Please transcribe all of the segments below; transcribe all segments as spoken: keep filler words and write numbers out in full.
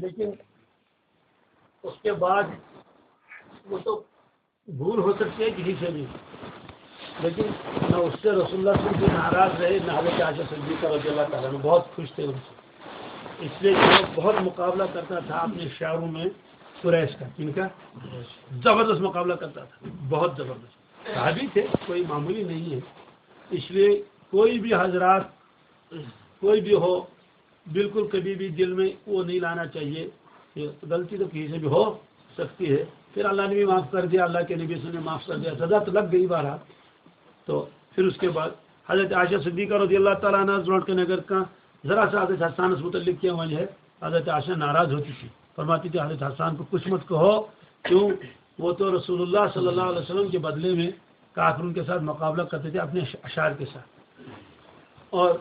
لیکن اس کے بعد وہ تو بھول ہو سکتی ہے کسی سے بھی، لیکن نہ اس سے رسول اللہ صلی اللہ علیہ وسلم ناراض رہے، نہ حضرت عائشہ صدیقہ رضی اللہ تعالیٰ عنہ، بہت خوش تھے ان سے۔ اس لیے کہ وہ بہت مقابلہ کرتا تھا اپنے شعروں میں قریش کا۔ کن کا؟ زبردست مقابلہ کرتا تھا، بہت زبردست۔ صحابی تھے، کوئی معمولی نہیں ہے۔ اس لیے کوئی بھی حضرات، کوئی بھی ہو، بالکل کبھی بھی دل میں وہ نہیں لانا چاہیے کہ غلطی تو کسی سے بھی ہو سکتی ہے۔ پھر اللہ نے بھی معاف کر دیا، اللہ کے نبی صلی اللہ علیہ وسلم نے معاف کر دیا، سزا تو لگ گئی بہرحال۔ تو پھر اس کے بعد حضرت عائشہ صدیقہ رضی اللہ تعالیٰ عنہ لوٹ کے اگر کہاں ذرا سا حضرت حسان اس متعلق کیا وجہ ہے، حضرت عائشہ ناراض ہوتی تھی، فرماتی تھی، "حضرت حسان کو کچھ مت کہو، کیوں؟ وہ تو رسول اللہ صلی اللہ علیہ وسلم کے بدلے میں کافروں کے ساتھ مقابلہ کرتے تھے اپنے اشعار کے ساتھ۔" اور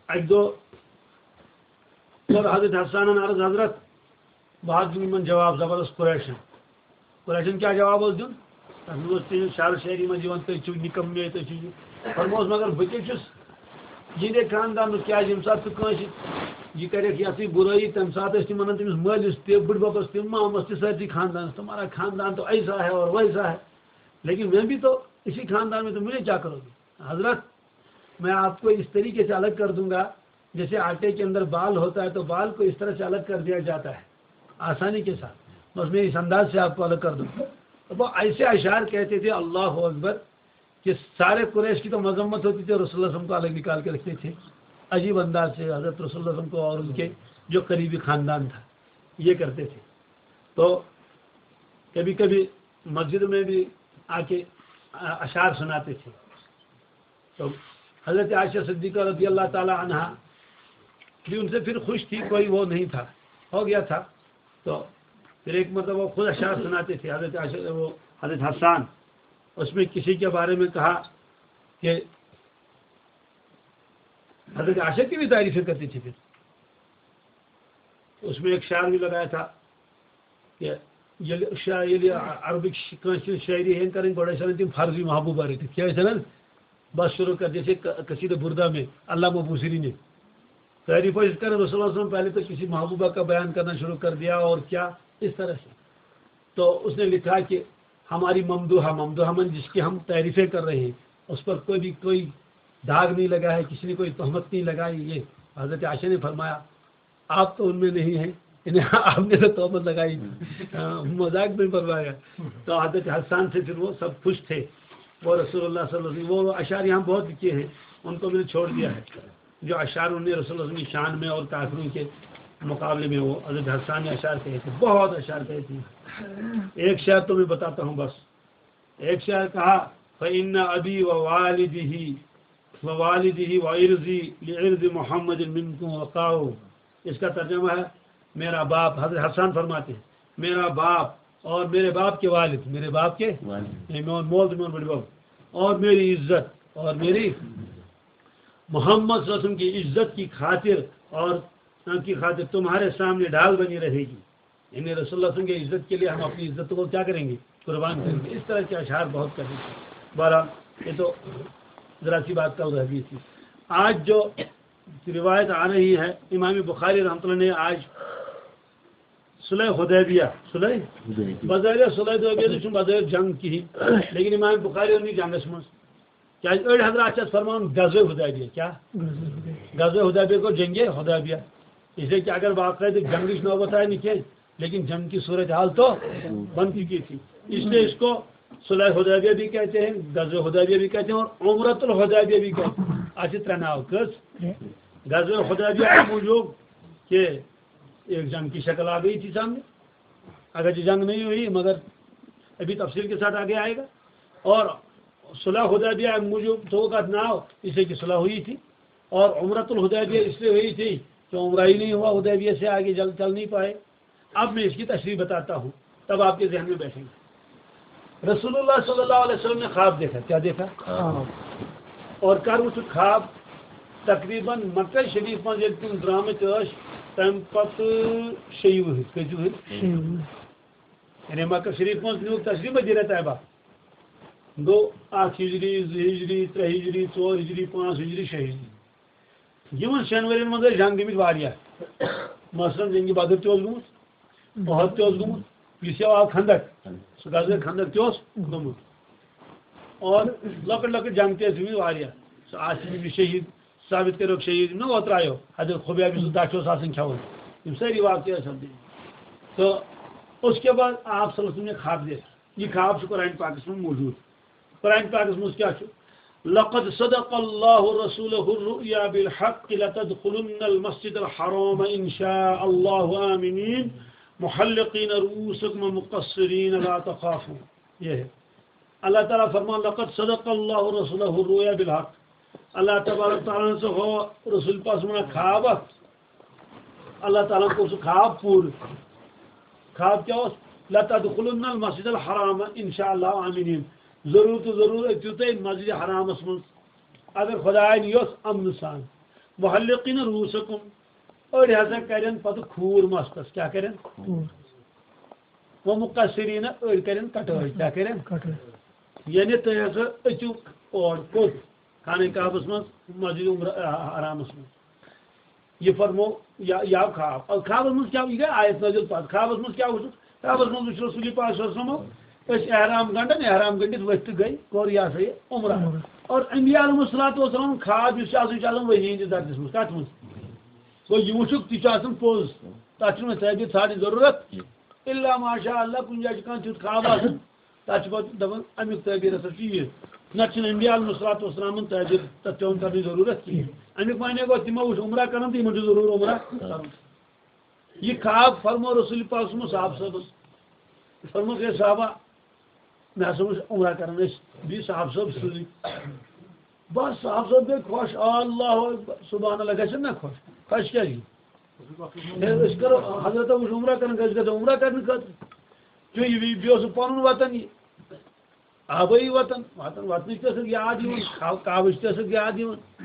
ایک دو، اور حضرت حسان عرض، "حضرت، بہت دِمہٕ یِمن جواب زبردست قریشن۔" قریشن کیٛاہ جواب اوس دیُن؟ تَتھ منٛز اوس تِہنٛز شعر شٲعری منٛز یِوان، "تُہۍ چھِو نِکم مے، تُہۍ چھِو یہِ۔" فرمووُس، "مگر بہٕ کیٛاہ چھُس یِہنٛدے خاندانُک؟ کیٛازِ ییٚمہِ ساتہٕ ژٕ کٲنٛسہِ یہِ کَرٮ۪کھ، یَتھ سۭتۍ بُرٲیی، تَمہِ ساتہٕ ٲسۍ تِم وَنان تٔمِس مٲلِس تہِ، بٕڈبَبَس تہِ، مامَس تہِ، سٲرسٕے خاندانَس، تمہارا خاندان تو ایسا ہے اور ویسا ہے، لیکن میں بھی تو اسی خاندان میں، تو مجھے کیا کرو گے؟" حضرت، میں آپ کو اس طریقے سے الگ کر دوں گا، جیسے آٹے کے اندر بال ہوتا ہے تو بال کو اس طرح سے الگ کر دیا جاتا ہے آسانی کے ساتھ، بس میں اس انداز سے آپ کو الگ کر دوں گا۔ تو وہ ایسے اشعار کہتے تھے، اللہ اکبر، کہ سارے قریش کی تو مذمت ہوتی تھی اور رسول اللہ صلی اللہ علیہ وسلم کو الگ نکال کے رکھتے تھے۔ عجیب انداز سے حضرت رسول اللہ صلی اللہ علیہ وسلم کو اور ان کے جو قریبی خاندان تھا، یہ کرتے تھے۔ تو کبھی کبھی مسجد میں بھی آ کے اشعار سناتے تھے۔ تو حضرت عائشہ صدیقہ رضی اللہ تعالیٰ عنہا بھی ان سے پھر خوش تھی، کوئی وہ نہیں تھا، ہو گیا تھا۔ تو پھر ایک مرتبہ وہ خود اشعار سناتے تھے، حضرت عائشہ، وہ حضرت حسان، اس میں کسی کے بارے میں کہا کہ حضرت عائشہ کی بھی تعریفیں کرتے تھے۔ پھر اس میں ایک شعر بھی لگایا تھا کہ ییٚلہِ شا-، ییٚلہِ عربٕکۍ شِ-، کٲنٛسہِ ہٕنٛز شٲعری ہیٚن کَرٕنۍ، گۄڈٕ ٲسۍ اَنان تِم فرضی محبوبہ رٔٹِتھ۔ کیٛاہ ٲسۍ اَنان؟ بس شروع کر، جیسے ق-، قصیدہ بردہ میں علامہ بوصیری نے تعریف ٲسۍ کران رسول اللہ صلی اللہ علیہ وسلم، پہلے تو کسی محبوبہ کا بیان کرنا شروع کر دیا اور کیا اس طرح سے۔ تو اس نے لکھا کہ ہماری ممدوحہ، ممدوحہ من جس کی ہم تعریفیں کر رہے ہیں، اس پر کوئی بھی کوئی داغ نہیں لگا ہے، کسی نے کوئی تہمت نہیں لگائی۔ یہ حضرت عائشہ نے فرمایا، آپ تو ان میں نہیں ہیں، انہیں آپ نے تو تہمت لگائی، آ، مذاق میں فرمایا۔ تو حضرت حسان سے پھر وہ سب خوش تھے۔ وہ رسول اللہ صلی اللہ علیہ وسلم، وہ اشعار یہاں بہت لکھے ہیں، ان کو میں نے چھوڑ دیا ہے۔ جو اشعار انہوں نے رسول اللہ صلی اللہ علیہ وسلم کی شان میں اور کافروں کے مقابلے میں وہ حضرت حسان نے اشعار کہے تھے، بہت اشعار کہے تھے۔ ایک شعر تو میں بتاتا ہوں بس، ایک شعر کہا، "فإن أبي ووالده، ووالده وعرضي لعرض محمد منكم وقاء۔" اس کا ترجمہ ہے، میرا باپ، حضرت حسان فرماتے ہیں، میرا باپ اور میرے باپ کے والد، میرے باپ کے، والد۔ یعنی میون مول تہٕ میون بٕڈبب، اور میری عزت، اور میری محمد صلی اللہ علیہ وسلم کی عزت کی خاطر اور کی خاطر تمہارے سامنے ڈھال بنی رہے گی۔ یعنی رسول اللہ صلی اللہ علیہ وسلم کی عزت کے لیے ہم اپنی عزت کو کیا کریں گے؟ قربان کریں گے۔ اس طرح کے اشعار بہت کرتے تھے۔ بہرحال، یہ تو ذرا سی بات کل رہ گئی تھی۔ آج جو روایت آ رہی ہے، امام بخاری رحمۃ اللہ نے آج صلح حدیبیہ، صلح حدیبیہ۔ بظاہر صلح حدیبیہ تو چھُنہٕ بظاہر جنگ کِہیٖنۍ، لیکن امام بخاری ووٚن یہِ جنگس منٛز۔ کیٛازِ أڑۍ حضرات چھِ اَتھ فرماوان غزوہ حدیبیہ۔ کیٛاہ؟ غزوہ حدیبیہ گوٚو جنگِ حدیبیہ۔ اس لیے کہ اگر باقاعدٕ جنگٕچ نوبت آیہِ نہٕ کینٛہہ، لیکن جنگ کی صورتحال تو بن چکی تھی۔ اس لیے اس کو صلح حدیبیہ بھی کہتے ہیں، غزوہ حدیبیہ بھی کہتے ہیں اور عمرۃ الحدیبیہ بھی کہتے ہیں۔ اَتھ چھِ ترٛےٚ ناو۔ کٔژ؟ غزوہ حدیبیہ اَمہِ موٗجوٗب کہ ایک جنگ کی شکل آ گئی تھی سامنے، اگرچہ جنگ نہیں ہوئی مگر ابھی تفصیل کے ساتھ آگے آئے گا۔ اور صلح حدیبیہ موجود تو کا ناو، اسے کی صلح ہوئی تھی، اور عمرۃ الحدیبیہ اس لیے ہوئی تھی کہ عمرہ ہی نہیں ہوا، حدیبیہ سے آگے جل چل نہیں پائے۔ اب میں اس کی تشریح بتاتا ہوں، تب آپ کے ذہن میں بیٹھیں گے۔ رسول اللہ صلی اللہ علیہ وسلم نے خواب دیکھا۔ کیا دیکھا؟ خواب۔ اور کر وُچھُکھ خواب؟ تقریباً مکہ شریف منٛز ییٚلہِ تِم درٛامٕتۍ ٲسۍ، تَمہِ پتہٕ شیٚیہِ وُہٕرۍ، کٔژِ وُہٕرۍ؟ شیٚیہِ وُہٕرۍ۔ یعنی مکہ شریف منٛز نیوٗکھ تشریف مدینہ طیبہ۔ گوٚو اکھ ہجری، زٕ ہجری، ترٛےٚ ہجری، ژور ہجری، پانٛژھ ہجری، شےٚ ہجری۔ یِمن شٮ۪ن ؤرین منٛز ٲسۍ جنگ گٔمٕتۍ واریاہ۔ مثلاً جنگِ بدر تہِ اوس گوٚمُت، احد تہِ اوس گوٚمُت، یُس یہِ آو خندق، سُہ غزوہ خندق تہِ اوس گوٚمُت۔ اور لۄکٕٹۍ لۄکٕٹۍ جنگ تہِ ٲسۍ گٔمٕتۍ واریاہ۔ سُہ آسہِ یہِ شہیٖد، ثابت کٔرِکھ شہیٖد، نہ اوترٕ آیو حضرت خبیب، یُس دَچھ اوس آسان کھٮ۪وان۔ یِم سٲری واقعہٕ ٲسۍ سپدٕمٕتۍ۔ تہٕ اس کے بعد آپ صلی اللہ علیہ وسلم نے خواب دیکھا۔ یہ خواب چھُ قرآن پاکس منٛز موجود۔ قرآن پاکس منٛز کیٛاہ چھُ؟ لقد صدق الله رسوله الرؤيا بالحق لتدخلن المسجد الحرام إن شاء الله آمنين محلقين رؤوسكم ومقصرين لا تخافون۔ یہ ہے۔ اللہ تعالیٰ فرمان، لقد صدق الله رسوله الرؤيا بالحق۔ اللہ تبارک تعالیٰ ہن سا ہو رسول پاس منا خواب اکھ۔ اللہ تعالیٰ ہن کوٚر سُہ خواب پوٗرٕ۔ خواب کیٛاہ اوس؟ لتدخلن المسجد الحرام ان شاء اللہ آمنین۔ ضروٗر تہٕ ضروٗر أژِو تُہۍ مسجد حرامس منٛز، اگر خدایَن یوٚژھ، امنہٕ سان۔ محلقین رؤوسکم، أڑۍ ہسا کرن پتہٕ کھوٗر مستس۔ کیٛاہ کرن؟ کھوٗر۔ و مقصرین، أڑۍ کرن کٹٲے۔ کیٛاہ کرن؟ کٹٲے۔ یعنی تُہۍ ہسا أژِو اور کوٚت؟ خانہ کعبس منٛز، مسجد عمر-، آ، حرامس منٛز۔ یہ فرمو یا، یا خواب۔ اور خوابس منٛز کیٛاہ؟ یہِ گٔے آیت نازل پتہٕ۔ خوابس منٛز کیٛاہ وُچھُکھ؟ خوابس منٛز وُچھ رسول پاک صلی اللہ علیہ وسلم، أسۍ احرام گنڈن، احرام گنڈِتھ ؤتھۍ تہٕ گٔے، کوٚر یہِ ہسا یہِ عمرہ۔ عمرہ۔ اور انبیاء علیہم الصلوۃ والسلام خواب یُس چھُ آسان، یہِ چھُ آسان وحی ہٕنٛدِس درجس منٛز۔ کتھ منٛز؟ گوٚو یہِ وُچھُکھ، تہِ چھُ آسان پوٚز۔ تتھ چھُنہٕ وۄنۍ تعبیر ژھانڈنٕچ ضروٗرت۔ الا ماشاء اللہ، کُنہِ جایہِ چھُ کانٛہہ تیُتھ خواب آسان، تَتھ چھِ پَتہٕ دَپان، اَمیُک تعبیٖر ہسا چھُ یہِ۔ نَتہٕ چھِنہٕ انبیاء علیہم الصلوۃ والسلامن تعبیٖر تَتھ پٮ۪وان کَرنٕچ ضروٗرت کِہیٖنۍ۔ اَمیُک معنی گوٚو، تِمو وٕچھ عمرہ کَران تہٕ یِمَن چھُ ضروٗر عمرہ کَرُن۔ یہِ خواب فرموو رسول پاک صلی اللہ علیہ وسلم صحابہٕ صٲبَس۔ فرمووُکھ، "ہے صحابہ، مےٚ ہسا وٕچھ عمرہ کَران أسۍ، بیٚیہِ صحابہٕ صٲب سۭتۍ۔" بس صحابہٕ صٲب گٔے خۄش، اللہ اکبر، سبحان اللہ، گژھن نہ خۄش؟ خۄش کیٛازِ گٔے؟ ہے، أسۍ کرو، حضرت ابوٗ چھُ عمرہ کران، أسۍ گژھو عمرہ کرنہٕ خٲطرٕ۔ کیوں یہِ بیٚیہِ، بیٚیہِ اوس سُہ پنُن وطن یہِ۔ آبٲیی وطن، وطن، وطنٕچ تہِ ٲسٕکھ یاد یِوان، کا-، کعبٕچ تہِ ٲسٕکھ یاد یِوان۔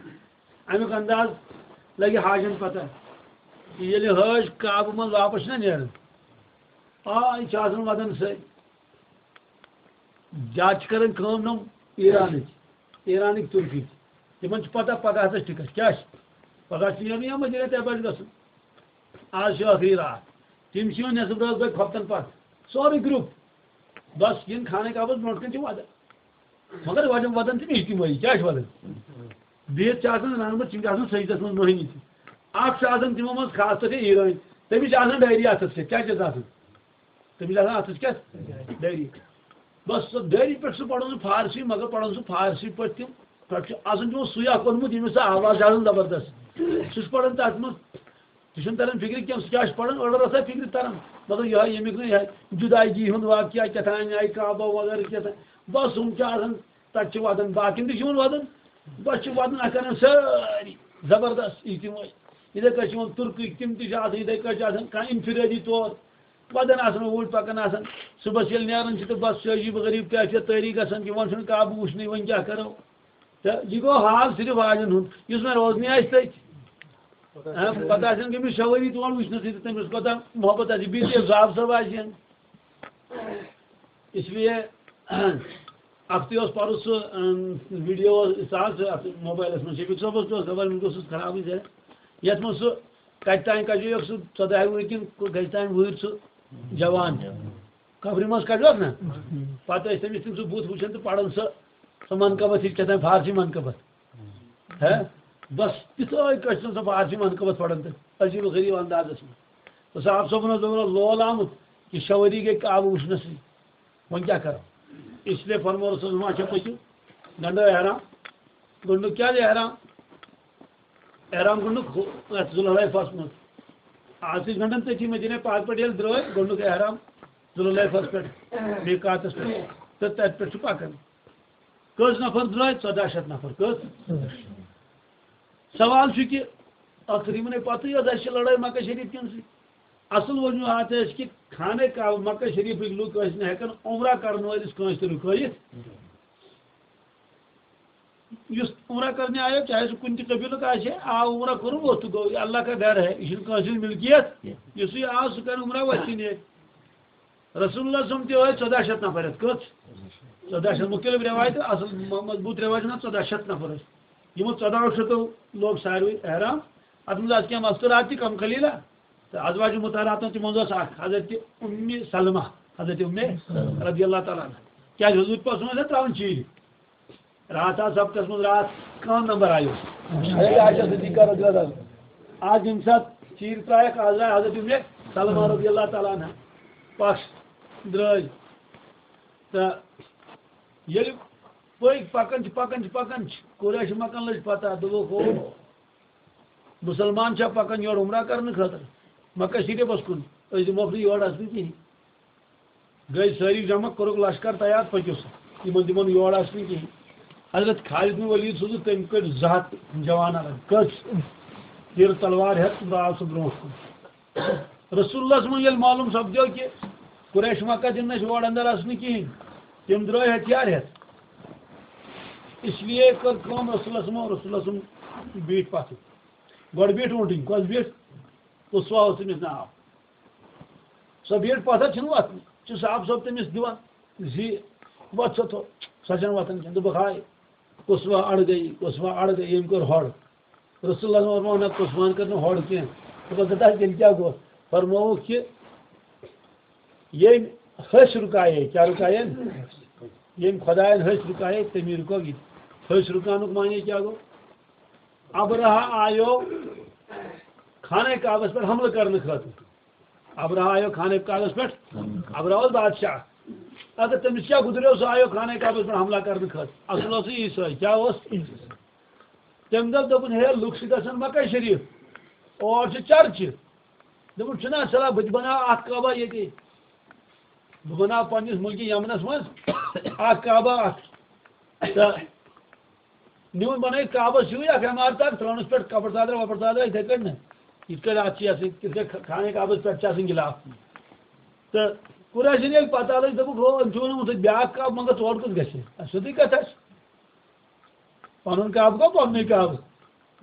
اَمیُک انداز لگہِ حاجن پتہ۔ ییٚلہِ حٲج کعبہٕ منٛز واپس چھِنہ نیران، آ، یہِ چھُ آسان وطن سۭتۍ۔ زیادٕ چھِ کران کٲم نۄم ایرانٕکۍ، ایرانٕکۍ تُرکٕکۍ۔ تِمن چھِ پتہ پگاہ ہسا چھِ ٹکٹ، کیٛاہ چھِ؟ پگاہ چھِ نیرُن یا مدینہ طیبہ چھِ گژھُن۔ آز چھِ ٲخری راتھ۔ تِم چھِ یِوان نٮ۪صٕف رٲژ بٲگۍ خۄفتن پتھ۔ سورُے گروپ۔ بس یِن خانہ کعبس برونٛٹھ کَنۍ چھِ وَدان۔ مگر وَدان، وَدان چھِ اجتمٲعی۔ کیٛاہ چھِ وَدان؟ بِہِتھ چھِ آسان رَنٛگہٕ بَتھ، تِم چھِ آسان سٔجدَس منٛز مۄہنی تہِ۔ اَکھ چھُ آسان تِمو منٛز خاص طور چھِ ایرٲنۍ۔ تٔمِس چھِ آسان ڈایری اَتھَس کٮ۪تھ۔ کیٛاہ چھِ اَتھ آسان؟ تٔمِس چھِ آسان اَتھَس کٮ۪تھ؟ ڈایری۔ بس سۄ ڈایری پٮ۪ٹھ سُہ پَران سُہ فارسی، مگر پَران سُہ فارسی پٲٹھۍ تِم۔ پٮ۪ٹھ چھُ آسان تِمو سُے اَکھ اوٚنمُت، ییٚمِس سُہ آواز چھِ آسان زبردست۔ سُہ چھُ پَران تَتھ منٛز۔ تہِ چھُنہٕ تران فِکرِ کینٛہہ، سُہ کیٛاہ چھُ پَران، أڑ رَژھا فِکرِ تران۔ مطلب، یِہوٚے ییٚمیُک نہٕ یِہوٚے جُدایگی ہُنٛد واقعہ کیٛاہ تام آیہِ، کعبہ وغیرہ کیٛاہ تام۔ بَس، ہُم چھِ آسان، تَتہِ چھِ وَدان، باقیَن تہِ چھِ یِوان وَدان۔ بَس، چھِ وَدان، اَتھ کَران سٲری زبردست اجتمٲعی۔ یِتھَے کٔنۍ چھِ یِوان تُرکٕکۍ، تِم تہِ چھِ آسان، یِتھَے کٔنۍ چھِ آسان کانٛہہ انفرٲدی طور وَدان آسان، اوٗرۍ پَکان آسان۔ صُبحَس ییٚلہِ نیران چھِ تہٕ بَس، چھِ عجیٖب و غریٖب کیفیت طٲری گژھان، یِوان چھُنہٕ کعبہٕ وٕچھنٕے، وۄنۍ کیٛاہ کَرو؟ تہٕ یہِ گوٚو حال صرف واجٮ۪ن ہُنٛد، یُس وۄنۍ روزنٕے آسہِ تٔتۍ۔ ہاں، پتہٕ آسن گٔمٕتۍ شےٚ ؤری تور وٕچھنَسٕے تہٕ تٔمِس کوٗتاہ محبت آسہِ، بیٚیہِ تہِ زاب صٲب آسہِ ہن۔ اس لیے اَکھتُے اوس پَرُس سُہ، اَم، ویٖڈیو اوس، سُہ آو سُہ اَتھ موبایلَس منٛز، شفیق صٲبَس تہِ اوس خبر، وٕنہِ گوٚو سُہ خرابٕے ذرا۔ یَتھ منٛز سُہ کَتہِ تام کَجیوکھ سُہ ژۄداہہِ وُہٕرۍ کِنہٕ کَتہِ تام وُہٕرۍ سُہ جوان۔ قبرِ منٛز کَڑیوکھ نا؟ پَتہٕ ٲسۍ تٔمِس تِم سُہ بُتھ وٕچھان تہٕ پَران سُہ، سُہ منقبت ہِش کیٛاہ تام فارسی منقبت۔ ہے، بس تِتھٲے کٲٹھۍ چھِ سۄ فارسی منقبت پَران تہٕ عجیٖب و غریٖب اندازَس منٛز۔ تہٕ صاحب صٲبُن اوس دَپان لول آمُت، یہِ شےٚ ؤری گٔے کعبہٕ وٕچھنَسٕے، وۄنۍ کیٛاہ کَرو؟ اس لیے فرموو رسول، وۄنۍ چھا پٔکِو، گنٛڈو احرام۔ گۄڈٕنیُک کیٛازِ احرام؟ احرام گۄڈٕنیُک ہُہ-، یَتھ ذوالحلیفَس منٛز۔ آز تہِ گنٛڈان تٔتھی مدیٖنہ پاک پٮ۪ٹھ ییٚلہِ درٛٲے، گۄڈٕنیُک احرام ذوالحلیفَس پٮ۪ٹھ، میٖقاتَس پٮ۪ٹھ۔ تہٕ تَتہِ پٮ۪ٹھ چھُ پَکان۔ کٔژ نفر درٛاے؟ ژۄداہ شیٚتھ نفر۔ کٔژ؟ سوال چھُ کہِ ٲخٕر یِمَن ہے پَتہٕ یہِ ٲس، اَسہِ چھِ لڑٲے مکہ شریف کٮ۪ن سۭتۍ۔ اَصٕل وجوہات ٲسۍ کہِ خانہ کعبہ مکہ شریفٕکۍ لُکھ ٲسۍ نہٕ ہٮ۪کان عمرہ کَرن وٲلِس کٲنٛسہِ تہِ رُکٲیِتھ۔ یُس عمرہ کرنے آیو، چاہے سُہ کُنہِ تہِ قبیلُک آسہِ ہے، آو عمرہ کوٚرُن، ووت تہٕ گوٚو، یہِ اللہ کا گھر ہے، یہِ چھُنہٕ کٲنٛسہِ ہُنٛد ملکیت، یُس یہِ آو، سُہ کرِ عمرہ وۄتھِ نِتھ۔ رسول اللہ صلی اللہ علیہ وسلم تہِ ٲسۍ ژۄداہ شیٚتھ نفر ہٮ۪تھ۔ کٔژ؟ ژۄداہ شیٚتھ۔ مُختلف رٮ۪وایتہٕ، اَصٕل م-، مضبوٗط رٮ۪وایتَن ہا ژۄداہ شیٚتھ نفر ٲسۍ۔ یِمو ژۄداہو شیٚتو لوگ ساروٕے احرام۔ اَتھ منٛز آسہٕ کینٛہہ مستوٗرات تہِ کم قلیٖلہ۔ تہٕ ازواج مطہراتن تِمن منٛز ٲس اکھ حضرت اُمِ سلمہ، حضرت اُمِ رضی اللہ تعالیٰ عنہا۔ کیٛازِ حضور پاک صلی اللہ علیہ وسلم ترٛاوان چیٖرِ؟ راتھ آو سبقس منٛز، راتھ کانٛہہ نمبر آیو۔ حضرت عائشہ صدیقہ رضی اللہ عنہا۔ آز ییٚمہِ ساتہٕ چیٖرِ ترٛایَکھ، آز درٛاے حضرت اُمِ سلمہ رضی اللہ تعالیٰ عنہا پش درٛٲے۔ تہٕ ییٚلہِ پٔکۍ پکان چھِ، پکان چھِ، پکان چھِ، قریش مکن لٔج پتہ، دوٚپُکھ، ہو، مسلمان چھا پکان یور عمرہ کرنہٕ خٲطرٕ مکہ شریفس کُن، أسۍ دِموکھ نہٕ یور اژنہٕ کِہیٖنۍ۔ گٔے سٲری جمع، کوٚرُکھ لشکر تیار، پٔکِو سا، یِمن دِمو نہٕ یور اژنہٕ کِہیٖنۍ۔ حضرت خالد بن ولید سوٗزُکھ، تٔمۍ کٔڑۍ زٕ ہتھ جوان الگ، کٔژ تیٖر تلوار ہٮ۪تھ، تہٕ آو سُہ برونٛٹھ کُن۔ رسول اللہ صلی اللہ علیہ وسلم ییٚلہِ معلوم سپدیو کہِ قریش مکہ دِن نہٕ اَسہِ یور اندر اژنہٕ کِہیٖنۍ، تِم درٛاے ہتھیار ہٮ۪تھ۔ اس لیے کٔر کٲم رسول اللہ صلی اللہ علیہ وسلم، رسول اللہ صلی اللہ علیہ وسلم بیٖٹھۍ پتھٕ۔ گۄڈٕ بیٖٹھ اوٗنٛٹٕنۍ، کۄس بیٖٹھ؟ قصوہ اوس تٔمِس ناو۔ سۄ بیٖٹھ پتھر، چھِنہٕ وۄتھنٕے۔ چھُ صاحب صٲب تٔمِس دِوان زِ وۄتھ سا تھوٚد، سۄ چھَنہٕ وۄتھان کینٛہہ۔ دوٚپُکھ، ہاے، قصوہ اڑ گٔیی، قصوہ اڑ گٔیی، ییٚمۍ کوٚر ہۄڑ۔ رسول اللہ صلی اللہ علیہ وسلم ووٚن، نہ، قصوان کٔر نہٕ ہۄڑ کینٛہہ۔ دوٚپُکھ، تیٚلہِ کیٛاہ گوٚو؟ فرمووُکھ کہِ ییٚمۍ ۂسۍ رُکایے، کیٛاہ رُکایَن؟ ییٚمۍ خۄدایَن ۂسۍ رُکایے، تٔمی رُکٲو یہِ تہِ۔ ۂسۍ رُکاونُک معنی کیٛاہ گوٚو؟ ابرہہ آیو خانہ کعبس پٮ۪ٹھ حملہٕ کرنہٕ خٲطرٕ۔ ابرہہ آیو خانہ کعبس پٮ۪ٹھ، ابرہہ اوس بادشاہ۔ اگر تٔمِس کیٛاہ گُزریو، سُہ آیو خانہ کعبس پٮ۪ٹھ حملہ کرنہٕ خٲطرٕ۔ اصل اوس سُہ عیسٲے۔ کیٛاہ اوس؟ تٔمۍ دوٚپ، دوٚپُن، ہے، لُکھ چھِ گژھان مکہ شریف، اور چھِ چرچہِ۔ دوٚپُن، چھُنہ صلاح، بہٕ تہِ بناو اکھ کعبہ ییٚتی۔ بہٕ بناو پننِس مُلکہِ یمنس منٛز اکھ کعبہ اکھ۔ تہٕ نیوٗن بنٲوِتھ کعبس ہیوٗے اکھ عمارت اکھ، ترٲونس پٮ۪ٹھ کپر ژادرا وپر ژادرا، یِتھے کٔنۍ نہ۔ یِتھ کٔنۍ اتھ چھِ یتھ سۭتۍ، یِتھ کٔنۍ خانہ کعبس پٮ۪ٹھ چھِ آسان غلاف۔ تہٕ قریشن ییٚلہِ پتہ لٔج، دوٚپُکھ، ہو، أمۍ چھُ ووٚنمُت بیٛاکھ کعبہٕ، مگر تورٕ کُس گژھِ؟ اَسہِ سیوٚدُے کتھ آسہِ۔ پنُن کعبہٕ گوٚو پنُنُے کعبہٕ۔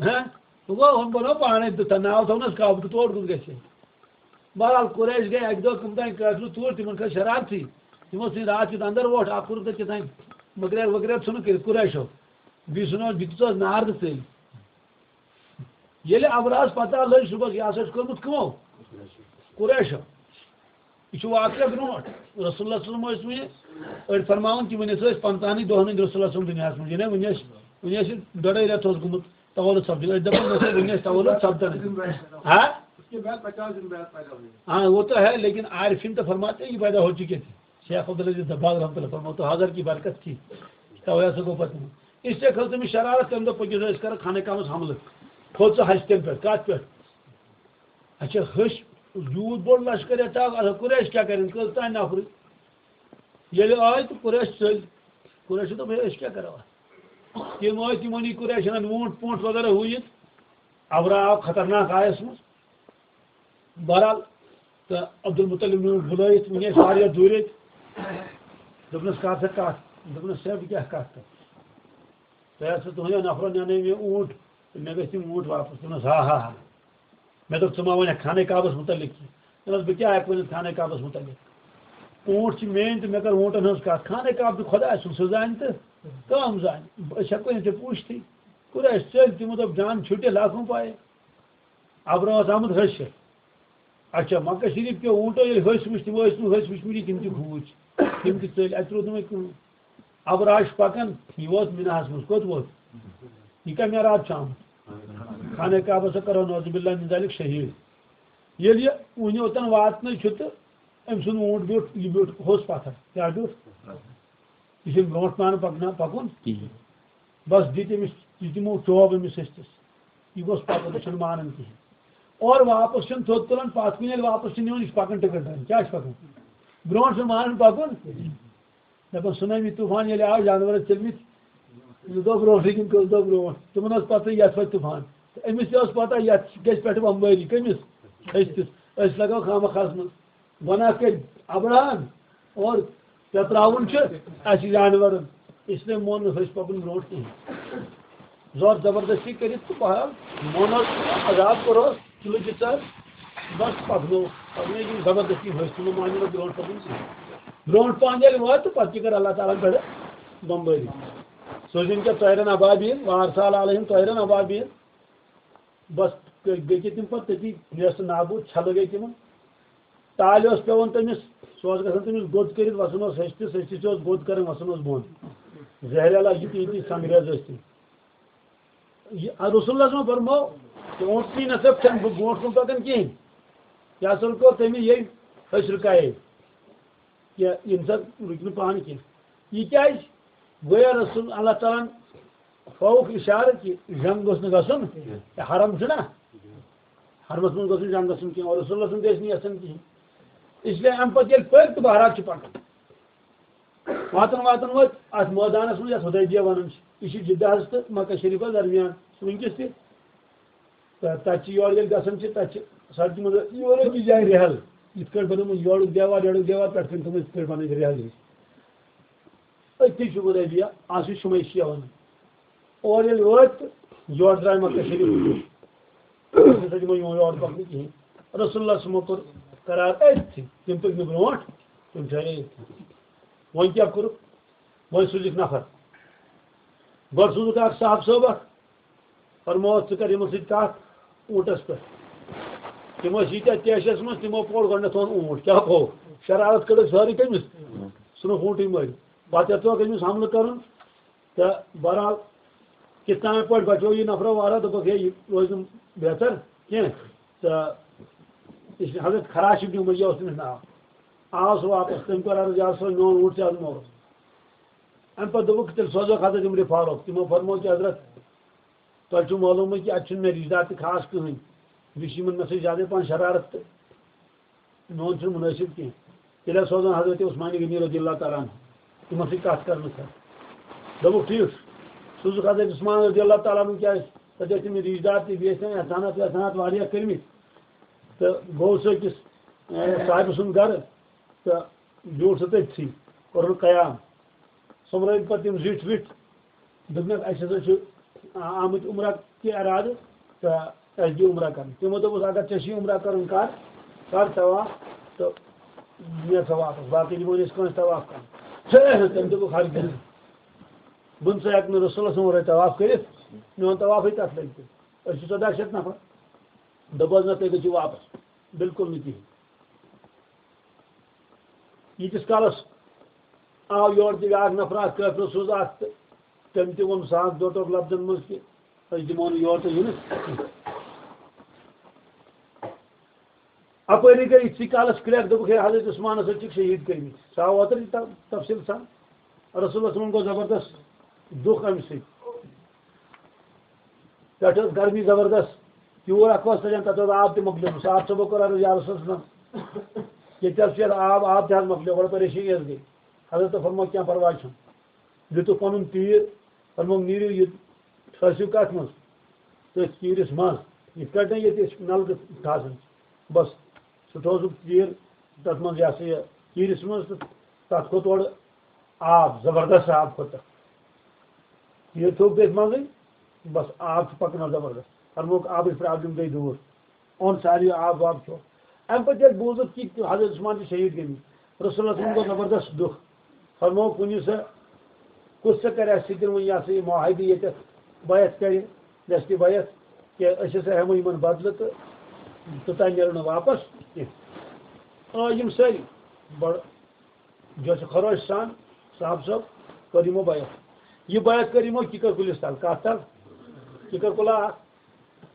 ہہ؟ وۄنۍ گوٚو، ہُم بنوو پانے تہٕ ناو تھوونس کعبہٕ تہٕ تور کُس گژھِ؟ بہرحال، قریش گٔے اکہِ دۄہ کٕم تام قٲفلہٕ توٗرۍ، تِمن کھٔژ شرارتھٕے۔ تِمو ژھٕنۍ راتھ کیُتھ اندر ووٹ، اکھ کوٚرُکھ تتہِ کیٛاہ تام مٔکریار ؤکریار ژھُنُکھ کٔرِتھ قریشو۔ بیٚیہِ ژھُنوس، بیٚیہِ دِژہوس نار تہٕ ژٔلۍ۔ ییٚلہِ ابرہس پتہ لٔج صُبحس، یہِ ہسا چھُ کوٚرمُت کٕمو؟ قریشو۔ یہِ چھُ واقعہ برونٛٹھ۔ رسول اللہ صلی اللہ علیہ وسلم ٲسۍ وٕنہِ أڑۍ فرماوان کہِ وٕنہِ ہسا ٲسۍ پنٛژاہنٕے دۄہن ہٕنٛدۍ رسول اللہ صلی اللہ علیہ وسلم دُنیاہس منٛز۔ یعنی وٕنہِ ٲسۍ، وٕنہِ ٲسۍ ڈۄڈے رٮ۪تھ اوس گوٚمُت تولد سپدُن۔ أسۍ دپان نہ سا وٕنہِ ٲسۍ تولد سپدان۔ ہاں؟ ہاں، وہ تو ہے، لیکن عارفین تو فرماتے ہیں یہ پیدا ہو چکے تھے۔ شیخ عبدالعزیز دباغ رحمۃ اللہ فرماتے، حاضر کی برکت تھی۔ توے ہسا گوٚو پتہٕ۔ اس لیے کھٔژ تٔمِس شرارت، تٔمۍ دوٚپ، پٔکِو سا، أسۍ کرو خانہ کعبس حملہٕ۔ کھوٚت سُہ ہستٮ۪ن پٮ۪ٹھ۔ کتھ پٮ۪ٹھ؟ اچھا، ہش یوٗت بوٚڑ لشکر یتھ آو، اچھا، قریش کیٛاہ کرن؟ کٔژ تام نفرٕے۔ ییٚلہِ آے تہٕ قریش ژٔلۍ۔ قریشو دوٚپ، ہے، أسۍ کیٛاہ کرو اتھ؟ تِم ٲسۍ، تِمن یی قریشن ووٗنٛٹ پوٗنٛٹ وغیرہ ہُہ یہِ۔ ابرہہ آو خطرناک آیس منٛز۔ بہرحال، تہٕ عبدالمطلب نیوٗکھ بُلٲیِتھ، وٕنہِ ٲسۍ واریاہ دوٗرِ أتۍ۔ دوٚپنس، کر سا کتھ؟ دوٚپنس، صٲب، بہٕ کیٛاہ کتھ کرٕ؟ تۄہہِ آسوٕ تُہنٛدیو نفرو نِنَے مےٚ اوٗنٹ، تہٕ مےٚ گژھِ تِم اوٗنٹ واپس۔ دوٚپنس، ہا، ہا، ہا۔ مےٚ دوٚپ، ژٕ ما وَنکھ خانہ کعبس مُتعلق کینٛہہ؟ دوٚپنس، بہٕ کیٛاہ ہٮ۪کہٕ ؤنِتھ خانہ کعبس مُتعلق؟ اوٗنٹ چھِ میٛٲنۍ تہٕ مےٚ کٔر اوٗنٹن ہٕنٛز کتھ۔ خانہ کعبہٕ چھُ خۄداے سُنٛد، سُہ زانہِ تہٕ کٲم زانہِ۔ أسۍ ہٮ۪کو نہٕ ژےٚ پوٗچھتھٕے۔ قریش ژٔلۍ، تِمو دوٚپ، جان چھُٹِتھ، لاکھوں پایہِ۔ ابرہہ اوس آمُت ۂسِتھ۔ اچھا، مکہ شریف کیو اوٗنٹو ییٚلہِ ۂسۍ وٕچھ، تِمو ٲسۍ نہٕ ۂسۍ وٕچھمٕتۍ، تِم تہِ کھوٗژۍ، تِم تہِ ژٔلۍ، اَتہِ روٗد نہٕ وۄنۍ کٕہٕنۍ۔ ابرہہ چھُ پکان، یہِ ووت مِناہَس منٛز۔ کوٚت ووت؟ یہِ کَمہِ راتہٕ چھُ آمُت؟ خانہ کعبَس سۭتۍ کرو نعوذ باللہ من ذالک شہیٖد۔ ییٚلہِ یہِ وٕنہِ اوٚتَن واتنٕے چھُ تہٕ أمۍ سُنٛد اوٗنٹ بیوٗٹھ، یہِ بیوٗٹھ ہوٚس پَتھر۔ کیٛاہ بیوٗٹھ؟ یہِ چھُنہٕ برونٛٹھ پَہَن پَکنا-، پَکُن۔ کِہیٖنۍ۔ بس دِتۍ أمِس، دِتۍ یِمو ٹوب أمِس ۂستِس۔ یہِ گوٚژھ پَکُن، یہِ چھُنہٕ مانان کِہیٖنۍ۔ اورٕ واپس چھُنہٕ تھوٚد تُلان، پَتھ کُن ییٚلہِ واپس چھُ نِوان، یہِ چھُ پَکان ٹِکٹ دَرِ۔ کیٛاہ چھُ پَکان؟ برونٛٹھ چھُنہٕ مانان پَکُن۔ دَپان، سُنامی طوٗفان ییٚلہِ آو، جانوَر ٲسۍ ژٔلمٕتۍ زٕ دۄہ برونٛٹھٕے کِنہٕ کٔژ دۄہ برونٛٹھ، تِمَن ٲس پَتہٕ یَتھ وَتہِ طوٗفان۔ تہٕ أمِس تہِ ٲس پَتہ، یَتھ گژھِ پٮ۪ٹھٕ بمبٲری۔ کٔمِس؟ ۂستِس۔ أسۍ لَگاو خامہ خاہَس منٛز۔ گۄناہ کٔرۍ ابرہن اور پٮ۪تراوُن چھُ اَسہِ جانوَرَن۔ اس لیے مون نہٕ أسۍ پَکُن برونٛٹھ کِہیٖنۍ۔ زور زبردستی کٔرِتھ تہٕ بہرحال مونُس عذاب کوٚرہوس، تُلہٕ دِژَس، بس پَکنو، پَکنٲے یِم زبردستی ۂسۍ، تِمو مانہِ نہٕ برونٛٹھ پَکُن کِہیٖنۍ۔ برونٛٹھ پَہَن ییٚلہِ وٲتۍ تہٕ پَتہٕ تہِ کٔر اللہ تعالیٰ ہَن پٮ۪ٹھٕ بمبٲری۔ سوٗزِن کیٛاہ طیرن ابابیل، وارسال علیہم طیرن ابابیل۔ بس گٔے تِم پَتہٕ تٔتی نیست نابوٗد، چھَلہٕ گٔے تِمَن۔ تالہِ اوس پٮ۪وان تٔمِس، سُہ اوس گژھان تٔمِس گوٚد کٔرِتھ وَسان اوس ہیٚچھتِس، ہیٚچھتِس اوس گوٚد کَران وَسان اوس بۄن۔ زہرِ علاج یہِ تہِ، یہِ تہِ سنٛگریز ٲسۍ تِم۔ یہِ رسول اللہ صٲبَن فرموو، تہِ اوٗنٛٹ پی نہ ژےٚ چھَنہٕ بہٕ برونٛٹھ کُن پَکان کِہیٖنۍ۔ یہِ ہسا کوٚر تٔمۍ یہِ أسۍ رُکایے۔ کہِ یِم سا رُکہِ نہٕ پانہٕ کینٛہہ۔ یہِ کیٛازِ؟ گویا رسول اللہ تعالیٰ ہَن ہووُکھ اِشارٕ کہِ جنگ گوٚژھ نہٕ گژھُن، یہِ حرم چھُنہ، حرمس منٛز گوٚژھ نہٕ جنگ گژھُن کینٛہہ، اور رسول اللہ سُنٛد گژھِ نہٕ یژھُن کِہیٖنۍ۔ اس لیے اَمہِ پتہٕ ییٚلہِ پٔکۍ تہٕ بہرحال چھِ پَکان۔ واتان واتان وٲتۍ اَتھ مٲدانَس منٛز، یَتھ حُدیبیہ وَنان چھِ۔ یہِ چھِ جِدہ حظ تہٕ مکہ شریٖفَس درمیان، سُہ وٕنکیٚس تہِ۔ تہٕ تَتہِ چھِ یورٕ ییٚلہِ گژھان چھِ، تَتہِ چھِ سڑکہِ منٛز یورٕ أکِس جایہِ رِہَل، یِتھ کٲٹھۍ بَنٲومٕژ یورُک دیوار، یورُک دیوار، پٮ۪ٹھ کَنۍ تھٲومٕژ یِتھ کٲٹھۍ بَنٲوِتھ رِہَل ہِش۔ أتھی چھُ حُدیبیہ، اَتھ چھُ شُمَے شِیَہہ وَنان۔ اورٕ ییٚلہِ وٲتۍ تہٕ یورٕ درٛاے مکہ شریٖف۔ أسۍ ہسا دِمو یِمَن یورٕ پَکنہٕ کِہیٖنۍ۔ رسول اللہ صٲبَن کوٚر قرار أتھی، تِم پٔکۍ نہٕ برونٛٹھ، تِم ٹھہرے أتھی۔ وۄنۍ کیٛاہ کوٚرُکھ؟ وۄنۍ سوٗزِکھ نفر۔ گۄڈٕ سوٗزُکھ اکھ صاحب صٲب اکھ، فرمووُکھ، "ژٕ کر یِمن سۭتۍ کتھ اوٗنٹس پٮ۪ٹھ۔" تِم ٲسۍ ییٖتیٛاہ طیشس منٛز، تِمو پوٚر گۄڈٕنٮ۪تھ اوٚن اوٗنٹ۔ کیٛاہ گوٚو؟ شرارت کٔڑٕکھ سٲرٕے تٔمِس، ژھٕنُکھ اوٗنٹٕے مٔرِتھ۔ پتہٕ یتھ تھوٚوکھ أمِس حملہٕ کرُن، تہٕ بہرحال کِتھ تام پٲٹھۍ بچوو یہِ نفرو وارہ، دوٚپُکھ، "ہے، یہِ روزِ نہٕ بہتر کینٛہہ۔" تہٕ یہِ چھُ حضرت خراش ابن امیہ اوس تٔمِس ناو۔ آو سُہ واپس، تٔمۍ کوٚر عرض، "یا رسول، میون اوٗنٹ تہِ حظ موٗد۔" اَمہِ پَتہٕ دوٚپُکھ، "تیٚلہِ سوزوکھ حضرت عمرِ فاروق۔" تِمو فرموو کہِ، "حضرت، تۄہہِ چھُو معلومٕے کہِ اَتہِ چھُنہٕ مےٚ رِشتہٕ دار تہِ خاص کٕہٕنۍ۔ یہِ چھُ یِمَن مےٚ سۭتۍ زیادَے پَہَن شرارت تہٕ میون چھُنہٕ مُنٲسِب کینٛہہ۔" تیٚلہِ حظ سوزَن حضرت عثمان غنی رضی اللہ تعالیٰ عنہ تِمَن سۭتۍ کَتھ کَرنہٕ خٲطرٕ۔ دوٚپُکھ، "ٹھیٖک چھُ۔" سوٗزُکھ حضرت عثمان رضی اللہ تعالیٰ عنہ، کیٛازِ تَتہِ ٲسۍ تٔمِس رِشتہٕ دار تہِ، بیٚیہِ ٲسۍ تٔمۍ احسانات وحسانات واریاہ کٔرمٕتۍ۔ تہٕ گوٚو سُہ أکِس، اے، صاحبہٕ سُنٛد گَرٕ تہٕ بیوٗٹھ سُہ تٔتھی، کوٚرُن قیام۔ سوٚمبرٲوِکھ پَتہٕ تِم زِٹھۍ وِٹھۍ، دوٚپنَکھ، "اَسہِ ہسا چھُ آ-، آمٕتۍ عمرہ کہِ اِرادٕ تہٕ اَسہِ دِ عمرہ کَرُن۔" تِمو دوٚپُس، "اگر ژےٚ چھُے عمرہ کَرُن، کَر، کَر طواف تہٕ نیر سا واپَس، باقٕے دِمو نہٕ أسۍ کٲنٛسہِ طواف کَرُن۔" تٔمۍ دوٚپُکھ، "ہرگِز، بہٕ نہٕ سا ہٮ۪کہٕ نہٕ رسول اللہ صلی اللہ علیہ وسلم ورٲے طواف کٔرِتھ، میون طوافٕے تَتھ لَگہِ تہٕ أسۍ چھِ ژۄداہ شیٚتھ نفر۔" دوٚپُس، "نہ، تُہۍ گٔژھِو واپَس، بِلکُل نہٕ کِہیٖنۍ۔" ییٖتِس کالَس آو یورٕ تہِ بیٛاکھ نفر اَکھ، کٲفِر سوٗز اَکھ، تہٕ تٔمۍ تہِ ووٚن صاف دوٚٹُک لفظن منٛز کہِ أسۍ دِمو نہٕ یور تہٕ یِنہٕ۔ اَپٲری گٔے یِتھسٕے کالَس کرٛٮ۪کھ، دوٚپُکھ، "ہے، حضرت عثمانَس حظ چھِکھ شہیٖد کٔرمٕتۍ۔" سُہ آو اوترٕ تہِ تَ-، تفصیٖل سان۔ رسول اللہ صلی اللہ علیہ وسلمن گوٚو زبردست دُکھ اَمہِ سۭتۍ۔ پٮ۪ٹھٕ ٲس گرمی زبردست۔ تیوٗر اَکھ اوس تَتٮ۪ن، تَتھ اوس آب تہِ مۄکلیومُت۔ صاحب صٲبو کوٚر عرض، "یا رسول اللہ صلی اللہ علیہ وسلم، ییٚتہِ حظ چھُ آب، آب تہِ حظ مۄکلیو، بڑٕ پریشٲنی حظ گٔے۔" حضرت فرموو، "کینٛہہ پرواے چھُنہٕ۔" دیُتُکھ پَنُن تیٖر، فرموو، "نیٖرِو یہِ ٹھٲسِو کَتھ منٛز؟ تٔتھۍ تیٖرِس منٛز، یِتھ کٲٹھۍ ییٚتہِ أسۍ نَلکہٕ ٹھاسان چھِ۔" بَس، سُہ ٹھوسُکھ تیٖر تَتھ منٛز، یہِ ہسا یہِ، تیٖرِس منٛز، تہٕ تَتھ کھوٚت اورٕ آب، زبردست آب کھوٚت تَتھ۔ تیٖر تھوٚو تٔتھۍ منٛزٕے، بَس، آب چھُ پَکان زبردست۔ فرمووُکھ، آبٕچ پرابلم گٔے دوٗر۔ اوٚن ساروِیو آب واب کھیوٚو۔ اَمہِ پَتہٕ ییٚلہِ بوٗزُکھ کہِ حضرت عثمان چھِ شہیٖد گٔمٕتۍ، رسول اللہ صلی اللہ علیہ وسلم گوٚو زبردست دُکھ۔ فرموو، کُنہِ سا، کُس ژےٚ کَرِ اَسہِ سۭتۍ وۄنۍ یہِ ہسا یہِ معاہدٕ ییٚتٮ۪تھ بیعت کَرِ، دَستِ بیعت، کہِ أسۍ ہسا ہٮ۪مو یِمَن بدلہٕ تہٕ توٚتام نیرو نہٕ واپَس کینٛہہ۔ آ، یِم سٲری بڑٕ جوشہٕ خروش سان صاحب صٲب کٔر یِمو بیعت۔ یہِ بیعت کٔر یِمو کِکر کُلِس تَل۔ کَتھ تَل؟ کِکر کُلا اَکھ۔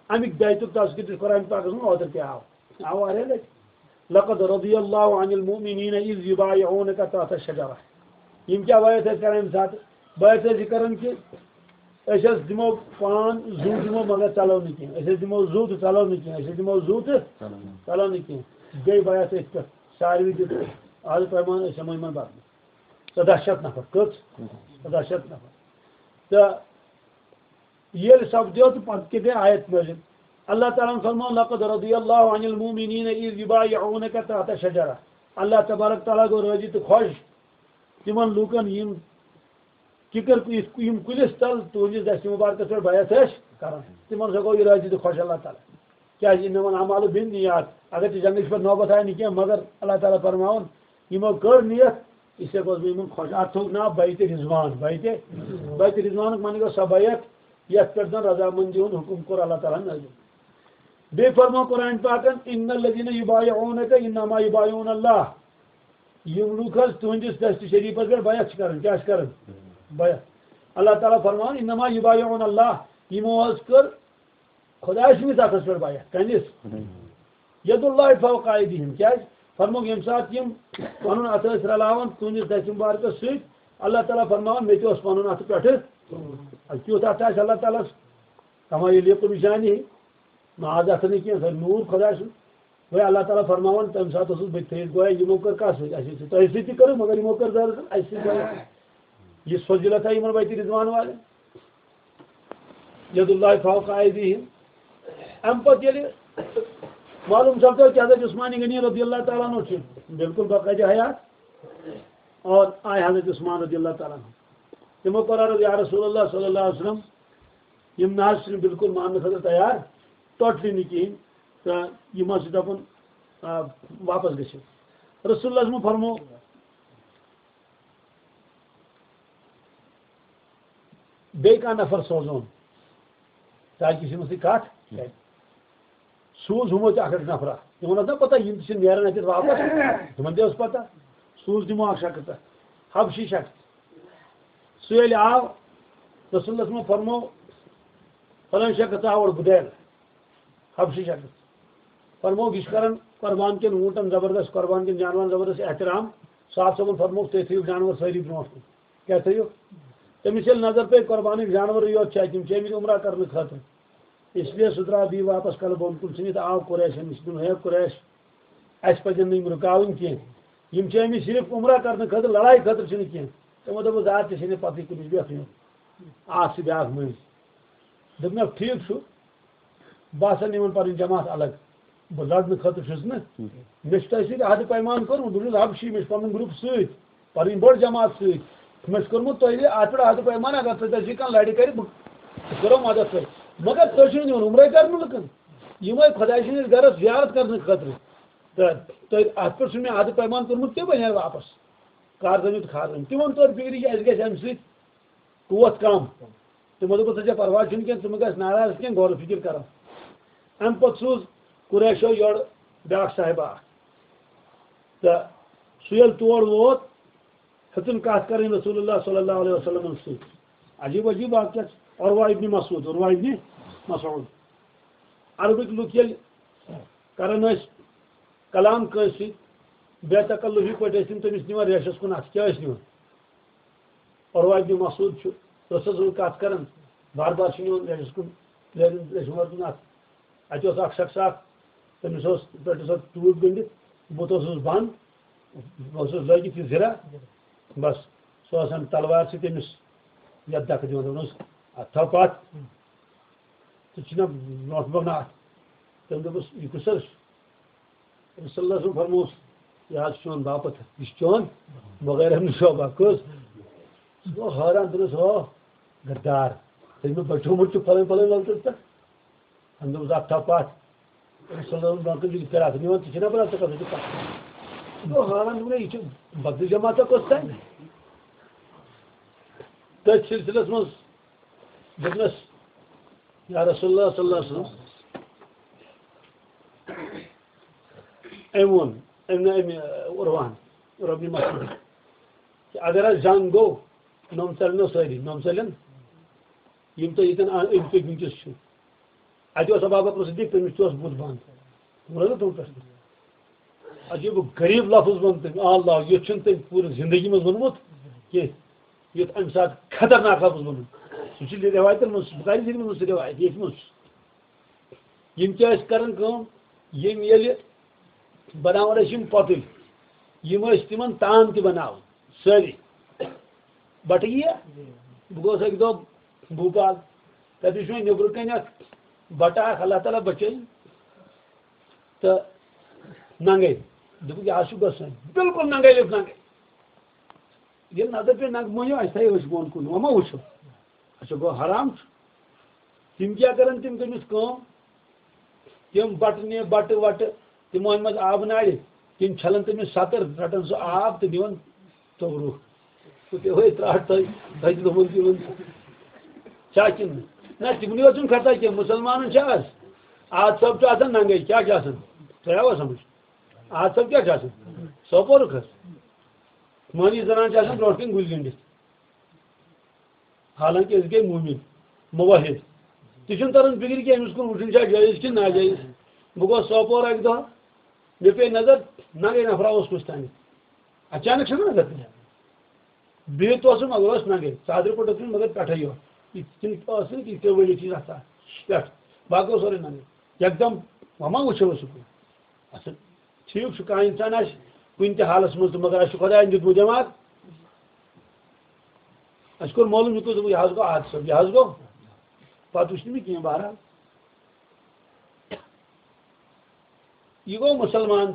اَمِکۍ بیعتُک تذکرٕ تہِ چھُ قرآن پاکَس منٛز، اوترٕ تہِ آو۔ آو واریاہ لَٹہِ۔ "لقد رضی اللہ عن المؤمنین اذ یبایعونک تحت الشجرہ۔" یِم کیٛاہ بیعت ٲسۍ کران اَمہِ ساتہٕ؟ بیعت ٲسۍ یہِ کران کہِ أسۍ حظ دِمو پان زُو دِمو مگر ژَلو نہٕ کینٛہہ، أسۍ حظ دِمو زُو تہٕ ژَلو نہٕ کینٛہہ، أسۍ حظ دِمو زُو تہٕ ژَلو نہٕ کینٛہہ۔ گٔے بیعت أتھۍ پٮ۪ٹھ، ساروی دیُت آز پیمان، أسۍ ہٮ۪مو یِمن بدلہٕ۔ ژۄداہ شیٚتھ نفر، کٔژ؟ ژۄداہ شیٚتھ نفر۔ تہٕ ییٚلہِ سپدیو تہٕ پتہٕ کیٛاہ گٔے آیت نٲزِل؟ اللہ تعالیٰ ہن فرموو، "لقد رضی اللہ عن المؤمنین اذ یبایعونک تحت الشجرہ۔" اللہ تبارک تعالیٰ گوٚو رٲضی تہٕ خۄش تِمن لوٗکن، یِم کِکر، یِم کُلِس تل تُہنٛدِس دستہِ مُبارکس پٮ۪ٹھ بیعت ٲسۍ کران، تِمن ہسا گوٚو یہِ رٲضی تہٕ خۄش اللہ تعالیٰ۔ کیازِ؟ انما الاعمال بالنیات۔ اگر تہِ جنگٕچ پٮ۪ٹھ نوبت آیہِ نہٕ کینٛہہ، مگر اللہ تعالیٰ فرماوُن، یِمو کٔر نیت، اس لیے گوس بہٕ یِمن خۄش۔ اتھ تھوٚوُکھ ناو بیعت رضوان۔ بیعت، بیعت رضوانُک معنی گوٚو سۄ بیعت، یتھ پٮ۪ٹھ زن رضامندی ہُنٛد حُکم کوٚر اللہ تعالیٰ ہن نٲزِل۔ بیٚیہِ فرموو قرآن پاکن، "ان الذین یبایعونک انما یبایعون اللہ"۔ یِم لوٗکھ حظ تُہنٛدِس دستہِ شریٖفس پٮ۪ٹھ بیعت چھِ کران، کیٛاہ چھِ کران؟ بیعت۔ اللہ تعالیٰ فرماوان، "انما یبایعون اللہ"، یِمو حظ کٔر خۄداے سٕنٛدِس اتھس پٮ۪ٹھ بیعت۔ کٔمِس؟ ید اللہ فوق ایدیہم۔ کیٛازِ؟ فرمووُکھ، ییٚمہِ ساتہٕ یِم پنُن اتھٕ ٲسۍ رلاوان تُہنٛدِس دستہِ مبارکس سۭتۍ، اللہ تعالیٰ فرماوان، مےٚ تہِ اوس پنُن اتھٕ پٮ۪ٹھٕ۔ اَدٕ کیُتھ اتھٕ آسہِ اللہ تعالیٰ ہس؟ کما یلیق بشانہ۔ ناز اتھٕ نہٕ کینٛہہ، سۄ نوٗر خۄداے سُنٛد۔ وۄنۍ اللہ تعالیٰ فرماوان، تمہِ ساتہٕ اوسُس بہٕ تہِ تھٲیِتھ، گویا یِمو کٔر کتھ سۭتۍ؟ اَسہِ سۭتۍ، تۄہہِ سۭتۍ تہِ کٔرٕو، مگر یِمو کٔر زیادٕ اَسہِ سۭتۍ۔ گویا یہِ فضیلت آیہِ یِمن بیت رضوان والٮ۪ن۔ ید اللہ فوق ایدیہم۔ امہِ پتہٕ ییٚلہِ معلوم سپدیو کہ حضرت عثمان غنی رضی اللہ تعالیٰ عنہ چھُ بالکل بقید حیات، اور آے حضرت عثمان رضی اللہ تعالیٰ عنہ۔ تِمو کوٚر عرض، یا رسول اللہ صلی اللہ علیہ وسلم، یِم نہ حظ چھِنہٕ بالکل ماننہٕ خٲطرٕ تیار، ٹوٹلی نہٕ کِہیٖنۍ، تہٕ یِم حظ چھِ دَپان، آ، واپس گٔژھِو۔ رسول اللہ صلی اللہ علیہ وسلم فرمو، بیٚیہِ کانٛہہ نفر سوزون، تاکہِ أسۍ یِمن سۭتۍ کتھ کرِ۔ سوٗز ہُمو تہِ اکھ اکھ نفرا۔ تِمن ٲس نہ پتہ، یِم تہِ چھِ نیران اتہِ واپس، تِمن تہِ ٲس پتہ۔ سوٗز تِمو اکھ شخص، حبشی شخص۔ سُہ ییٚلہِ آو، رسول اللہ صلی اللہ علیہ وسلم فرمو، فلٲنۍ شخص آو اورٕ، بدیل۔ حبشی شخص۔ فرمووُکھ، یہِ چھُ کران قربان کٮ۪ن اوٗنٹن زبردست، قربان کٮ۪ن جانورن زبردست احترام۔ صاحب صٲبن فرمووُکھ، تُہۍ تھٲیِو جانور سٲری برونٛٹھ کُن۔ کیٛاہ تھٲیِو؟ تٔمِس ییٚلہِ نظر پیٚیہِ، قربانٕکۍ جانورٕے یوت چھِ اَتہِ، یِم چھِ آمٕتۍ عمرہ کرنہٕ خٲطرٕ۔ اس لیے سُہ درٛاو بیٚیہِ واپس کلہٕ بۄن کُن ژھٕنِتھ، آو قریشن نِش، دوٚپُن، ہے قریش، اَسہِ پَزن نہٕ یِم رُکاوٕنۍ کینٛہہ۔ یِم چھِ آمٕتۍ صرف عمرہ کرنہٕ خٲطرٕ، لڑایہِ خٲطرٕ چھِنہٕ کینٛہہ۔ تِمو دوٚپُس، زٕ ہتھ تہِ چھِنہٕ پَتہٕ کُنِچ بیٚکھ یُن۔ اکھ چھِ بیٛاکھ مٔنٛزۍ۔ دوٚپمَکھ، ٹھیٖک چھُ، بہٕ ہسا نِمن پنٕنۍ جماعت الگ۔ بہٕ لڑنہٕ خٲطرٕ چھُس نہٕ۔ مےٚ چھُ تۄہہِ سۭتۍ عہدٕ پیمان کوٚرمُت، بہٕ چھُس حبشی، مےٚ چھُ پنُن گروپ سۭتۍ، پنٕنۍ بٔڑ جماعت سۭتۍ۔ مےٚ چھُ کوٚرمُت تۄہہِ اَتھ پٮ۪ٹھ عہدٕ پیمان، اگر تۄہہِ تۄہہِ سۭتۍ کانٛہہ لڑِ کرِ، بہٕ بہٕ کرو مدد تۄہہِ۔ مگر تُہۍ چھِو نہٕ یِوان عمرے کرنہٕ لُکن۔ یِم آے خۄداے سٕنٛدِس گرس زیارت کرنہٕ خٲطرٕ۔ تہٕ تۄہہِ اَتھ پٮ۪ٹھ چھُ مےٚ عہدٕ پیمان کوٚرمُت، تہِ بنہِ ہا واپس۔ کار زٲنِو تہٕ خار زٲنِو۔ تِمن توٚر فِکرِ کہِ اَسہِ گژھِ اَمہِ سۭتۍ قوت کم۔ تِمو دوٚپُکھ، "ژےٚ چھےٚ پرواے چھُنہٕ کینٛہہ، ژٕ مہٕ گژھ ناراض کینٛہہ، غور و فکر کرو۔" اَمہِ پتہٕ سوٗز قریشو یورٕ بیٛاکھ صاحبہ اکھ۔ تہٕ سُہ ییٚلہِ تور ووت، ہیٚژٕن کتھ کرٕنۍ رسول اللہ صلی اللہ علیہ وسلمن سۭتۍ۔ عجیب عجیب واقعہ چھُ۔ عروہ ابن مسعود، عروہ ابن مسعود۔ عربٕکۍ لُکھ ییٚلہِ کران ٲسۍ کلام کٲنٛسہِ سۭتۍ، بے تکلفی پٲٹھۍ ٲسۍ تِم تٔمِس نِوان ریشس کُن اَتھٕ۔ کیٛاہ ٲسۍ نِوان؟ عروہ ابن مسعود چھُ رسول صلی اللہ علیہ وسلم کتھ کران، بار بار چھُ نِوان ریشس کُن، ریشہِ، ریشہِ وَر کُن اَتھٕ۔ اَتہِ اوس اکھ شخص اکھ، تٔمِس اوس پٮ۪ٹھٕ سۄ ٹوٗپۍ گٔنٛڈِتھ، بُتھ اوسُس بنٛد، اوسُس لٲگِتھ یہِ زِرہ، بس، سُہ اوس اَمہِ تلوارِ سۭتۍ تٔمِس یَتھ دَکہٕ دِوان، دَپان اوس، "اَتھ تھاو پَتھ، ژٕ چھُکھ نا برونٛٹھ برونٛٹھ نا اَتھ؟" تٔمۍ دوٚپُس، "یہِ کُس حظ چھُ؟" صلی اللہ علیہ وسلم فرموس، "یہِ حظ چھُ چون باپتھ، یہِ چھُ چون بغیر ہم شعبہ کُس؟" سُہ گوٚو حٲران، دوٚپُس، "ہو، غدار، ژےٚ مےٚ بچومُت چھُ پھلٲنۍ پھلٲنۍ لۄکٹِس پٮ۪ٹھ؟" أمۍ دوٚپُس، "اَتھ تھاو پَتھ۔" صلی اللہ علیہ وسلم برونٛہہ کُن چھُ فراق نِوان، ژٕ چھُکھ نا پَران، ژٕ کَتھ چھُکھ پَتھ؟ سُہ گوٚو حٲران، دوٚپُن، "ہے، یہِ چھُ بدلٕے جماعتہ کۄس تانۍ؟" تٔتھۍ سلسلس منٛز دوٚپنَس، یا رسول اللہ صلی اللہ علیہ وسلم، أمۍ ووٚن، أمۍ نہٕ أمۍ، عروہن، عروہ بن مسعود، کہ اگر حظ جنگ گوٚو، نۄم ژَلنو سٲری، نۄم ژَلن یِم تۄہہِ ییٚتٮ۪ن أنٛدۍ پٔکۍ وٕنکیٚس چھِو۔ اَتہِ اوس ابو بکر صدیق، تٔمِس تہِ اوس بُتھ بنٛد۔ ووٚن حظ تِمن پٮ۪ٹھ۔ عجیٖب و غریٖب لفظ ووٚن تٔمۍ، اللہ، یُتھ چھُنہٕ تٔمۍ پوٗرٕ زندگی منٛز ووٚنمُت کینٛہہ، یُتھ اَمہِ ساتہٕ خطرناک لفظ ووٚنُن۔ سُہ چھُ رِوایتَن منٛز، بُخاری شریٖفَس منٛز سُہ رِوایت، ییٚتہِ منٛز چھُ۔ یِم کیٛاہ ٲسۍ کران کٲم؟ یِم ییٚلہِ بناوان ٲسۍ یِم پۄتٕلۍ، یِم ٲسۍ تِمن تان تہِ بناوان سٲری۔ بٹہٕ یِیا؟ بہٕ گوس اَکہِ دۄہ بھوپال، تَتہِ وٕچھ مےٚ نیٚبرٕ کَنۍ اکھ بٹہٕ اکھ، اللہ تعالیٰ بچٲیِن، تہٕ ننگے۔ دوٚپُکھ، "یہِ حظ چھُ گژھُن، بالکل ننگے، لیٚپھ ننگے۔" ییٚلہِ نظر پیٚیہِ ننگہٕ مۄنٛجہِ، اَسہِ تھایہِ أچھ بۄن کُن، وۄنۍ ما وٕچھو؟ اچھا، گوٚو حرام چھُ۔ تِم کیٛاہ کرن؟ تِم تٔمِس کٲم، تِم بٹہٕ نہِ، بٹہٕ وٹہٕ، تِم أنۍ منٛز آبہٕ نارِ، تِم چھلن تٔمِس ستٕر، رٹان سُہ آب تہٕ نِوان توٚبرُک۔ تہٕ پیوٚو ہے ترٛٹھ تۄہہِ، تۄہہِ تہِ دوٚپُن تِمن، چھا کِنہٕ نہ؟ نہ، تِمنٕے یوت چھُنہٕ خطا کینٛہہ، مُسلمانن چھا آز؟ آد صٲب چھُ آسان ننگے، کیٛاہ چھُ آسان؟ تۄہہِ آوا سمجھ؟ آد صٲب کیٛاہ چھُ آسان؟ سوپورُک حظ۔ مٲنی زنان چھِ آسان برونٛٹھ کَنۍ گُلۍ گٔنٛڈِتھ۔ حالانکہ أسۍ گٔے مومن، موحد۔ تہِ چھُنہٕ تران فِکرِ کینٛہہ، أمِس کُن وٕچھُن چھا جٲیِز کِنہٕ ناجٲیِز۔ بہٕ گوس سوپور اَکہِ دۄہ، مےٚ پیٚیہِ نظر، ننگے نفرا اوس کُس تانۍ۔ اچانک چھُنہ نظر پیٚوان۔ بِہِتھ اوسُم، مگر اوس ننگے، ژادرِ پٲٹھۍ اوس مےٚ مگر پٮ۪ٹھے یوت۔ یِتھ کٔنۍ ٲس نہٕ یِتھ کٔنۍ ؤلِتھ چھِ آسان پٮ۪ٹھ، باقٕے اوس سورُے ننگے۔ یکدم وۄنۍ ما وٕچھو أسۍ سُہ کُن؟ اَصٕل، ٹھیٖک چھُ، کانٛہہ اِنسان آسہِ کُنہِ تہِ حالس منٛز تہٕ مگر اَسہِ چھُ خۄدایَن دیُتمُت دٮ۪ماغ۔ اَسہِ کوٚر معلوم، یہِ کوٚر، دوٚپُکھ، یہِ حظ گوٚو حادثہٕ، یہِ حظ گوٚو۔ پَتہٕ وٕچھ نہٕ مےٚ کینٛہہ، بہرحال۔ یہِ گوٚو مُسلمان،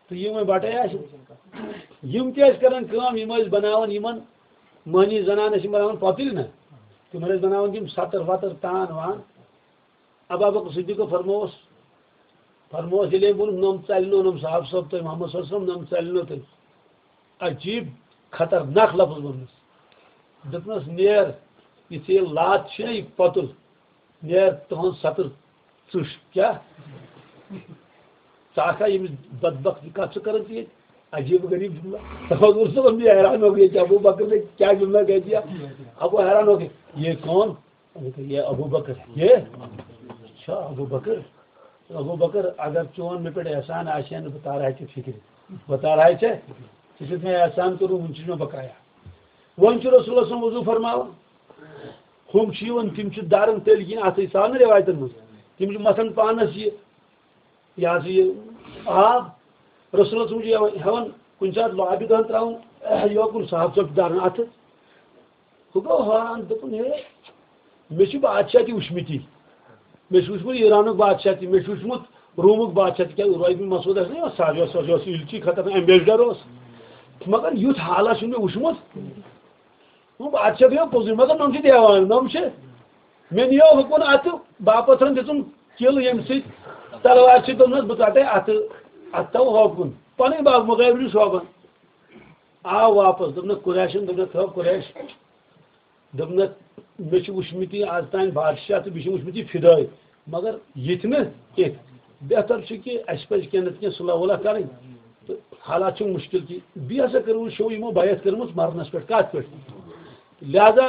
تہٕ یہِ وۄنۍ بَٹَے آسہِ۔ یِم تہِ ٲسۍ کَران کٲم، یِم ٲسۍ بَناوان یِمَن مٔہنی زَنان ٲسۍ یِم بَناوان پۄتٕلۍ نہ، تِمَن ٲسۍ بَناوان تِم سَتٕر وَتٕر، تان وان۔ ابابکر صدیقو فرمووس، فرمووس، ییٚلہِ أمۍ ووٚن، "نۄم ژَلہِ نو، نۄم صاحب صٲب تۄہہِ محمد صلی اللہ علیہ وسلم، نۄم ژَلہِ نو تۄہہِ۔" عجیٖب خطرناک لفظ ووٚنمَس۔ دوٚپنَس، "نیر، یہِ ژےٚ یہِ لات چھِ نہ یہِ پۄتُل، نیر تُہُنٛد سَتُر ژٕش۔" کیٛاہ؟ ژٕ آکھا ییٚمِس بدبخت یہِ کَتھ چھِ کَران ژٕ ییٚتہِ؟ عجیٖب غریٖب جملہ۔ تَوَے اوسُس بہٕ حیران ہو گیا کہ ابو بکر نے کیا جملہ کہہ دیا۔ ابو حیران ہو گیا، یہ کون؟ یہ ابو بکر ہے۔ یہ؟ اچھا، ابو بکر۔ ابو بکر، اگر چون مےٚ پٮ۪ٹھ احسان آسہِ ہا نہٕ، بہٕ تارٕ ہا ژےٚ فِکرِ۔ بہٕ تارٕ ہا ژےٚ۔ ژےٚ چھُتھ مےٚ احسان کوٚرمُت، وُنہِ چھُس مےٚ بقایا۔ وۄنۍ چھُ رسول اللہ صلی اللہ علیہ وسلم وضوٗ فرماوان۔ ہُم چھِ یِوان، تِم چھِ دَران تٔلۍ کِنۍ اَتھٕے، سُہ آو نہٕ رٮ۪وایتَن منٛز۔ تِم چھِ مَتھان پانَس یہِ، یہِ ہسا یہِ آب۔ رسول اللہ صلی اللہ علیہ وسلم چھُ یِوان، ہٮ۪وان کُنہِ ساتہٕ لابہِ دۄہَن ترٛاوُن، یوکُن صاحب صٲب چھُ دَران اَتھٕ۔ ہُہ گوٚو حٲران، دوٚپُن، "ہے، مےٚ چھِ بادشاہ تہِ وٕچھمٕتی۔ مےٚ چھُ وٕچھمُت ایرانُک بادشاہ تہِ، مےٚ چھُ وٕچھمُت رومُک بادشاہ تہِ۔" کیٛاہ عروہ بن مسعود ٲسۍ نہ یِوان ساروِیو سوزیو سُہ یِلچی خطرناک ایمبیسڈر اوس۔ مگر یُتھ حالا چھُنہٕ مےٚ وٕچھمُت۔ وۄنۍ بادشاہ گٔیو پوٚزُے، مگر نۄم چھِ دیوان، نۄم چھِ۔ مےٚ نِیو ہُکُن اَتھٕ، باپتھن دِژٕم کِل ییٚمہِ سۭتۍ تلوار چھِ، دوٚپنَس، "بہٕ ژَٹَے اَتھٕ، اَتھٕ تھاوٕ ہۄکُن۔" پَنٕنۍ باپ مُغیب چھُ شوبان۔ آو واپس، دوٚپنَکھ، "قریشَن"، دوٚپنَکھ، "تھٲو قریش۔" دوٚپنَکھ، "مےٚ چھِ وٕچھمٕتۍ یہِ آز تام بادشاہ تہٕ بیٚیہِ چھِ وٕچھمٕتۍ یہِ فِدٲے، مگر یِتھۍ نہٕ کینٛہہ۔ بہتر چھُ کہِ اَسہِ پَزِ کینٛہہ نَتہٕ کینٛہہ صلح وُلح کَرٕنۍ۔ تہٕ حالات چھِ مُشکِل کہِ بیٚیہِ ہسا کٔرٕو شو یِمو بیعت کٔرمٕژ مَرنَس پٮ۪ٹھ۔" کَتھ پٮ۪ٹھ؟ لہذا